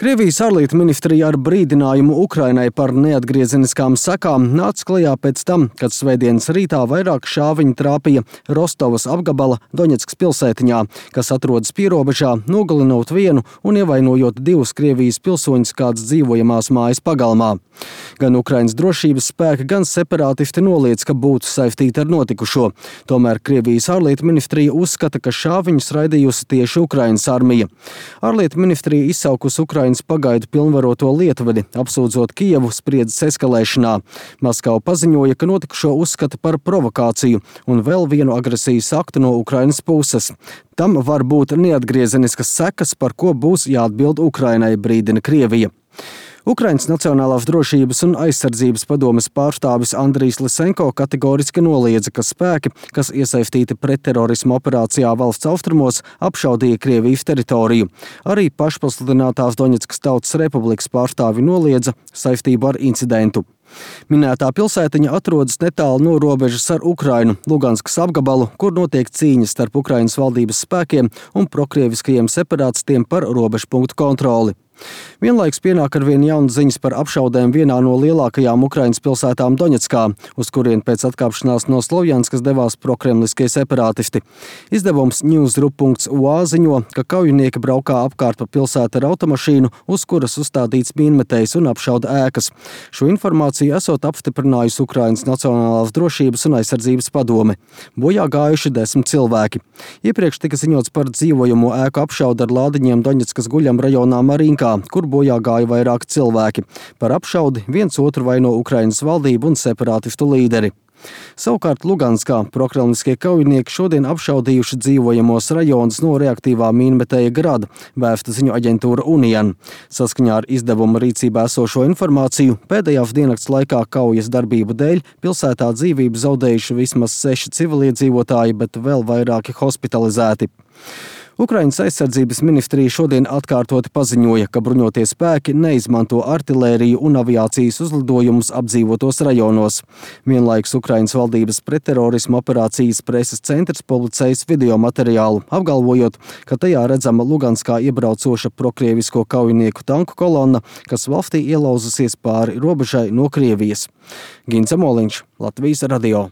Krievijas ārlietu ministrija ar brīdinājumu Ukrainai par neatgriezeniskām sekām nāca klajā pēc tam, kad svētdienas rītā vairāk šāviņu trāpīja Rostovas apgabala Doņetskas pilsētiņā, kas atrodas pierobežā, nogalinot vienu un ievainojot divus Krievijas pilsoņus kādas dzīvojamās mājas pagalmā. Gan Ukrainas drošības spēki, gan separātisti noliedz, ka būtu saistīti ar notikušo. Tomēr Krievijas ārlietu ministrija uzskata, ka šāviņus raidījusi tieši Ukrainas armija. Ārlietu ministrija izsaukusi Ukrainas pagaidu pilnvaroto lietvedi, apsūdzot Kijevu spriedzes eskalēšanā. Maskava paziņoja, ka notikušo uzskata par provokāciju un vēl vienu agresijas aktu no Ukrainas puses. Tam var būt neatgriezeniskas sekas, par ko būs jāatbild Ukrainai, brīdina Krievija. Ukrainas Nacionālās drošības un aizsardzības padomes pārstāvis Andrijs Lisenko kategoriski noliedza, ka spēki, kas iesaistīti pretterorisma operācijā valsts austrumos, apšaudīja Krievijas teritoriju. Arī pašpasludinātās Doņetskas Tautas Republikas pārstāvi noliedza saistību ar incidentu. Minētā pilsētiņa atrodas netālu no robežas ar Ukrainu, Luganskas apgabalu, kur notiek cīņas starp Ukrainas valdības spēkiem un prokrieviskajiem separātistiem par robežpunktu kontroli. Vienlaiks pienāk arvien jaunas ziņas par apšaudēm vienā no lielākajām Ukrainas pilsētām Doņetskā, uz kurien pēc atkāpšanās no Slovjanskas devās prokremliskie separātisti. Izdevums Newsgroup.ua ziņo, ka kaujinieki braukā apkārt pa pilsētu ar automašīnu, uz kuras uzstādīts mīnmetējs un apšauda ēkas. Šo informāciju esot apstiprinājusi Ukrainas Nacionālās drošības un aizsardzības padome. Bojā gājuši 10 cilvēki. Iepriekš tika ziņots par dzīvojamo ēku apšaudu ar lādiņiem Doņetskas guļam rajonā Marinkā, kur bojā gāja vairāki cilvēki. Par apšaudi viens otru vaino Ukrainas valdību un separātistu līderi. Savukārt Luganskā prokremliskie kaujinieki šodien apšaudījuši dzīvojamos rajonus no reaktīvā mīnmetēja Grada, vēsta ziņu aģentūra Unian. Saskaņā ar izdevuma rīcībā esošo informāciju, pēdējās diennakts laikā kaujas darbību dēļ pilsētā dzīvību zaudējuši vismaz 6 civiliedzīvotāji, bet vēl vairāki hospitalizēti. Ukrainas aizsardzības ministrija šodien atkārtoti paziņoja, ka bruņotie spēki neizmanto artilēriju un aviācijas uzlidojumus apdzīvotos rajonos. Vienlaikus Ukrainas valdības pretterorisma operācijas preses centrs publicējis video materiālu, apgalvojot, ka tajā redzama Luganskā iebraucoša prokrievisko kaujinieku tanku kolonna, kas valstī ielauzusies pāri robežai no Krievijas. Gins Amoliņš, Latvijas radio.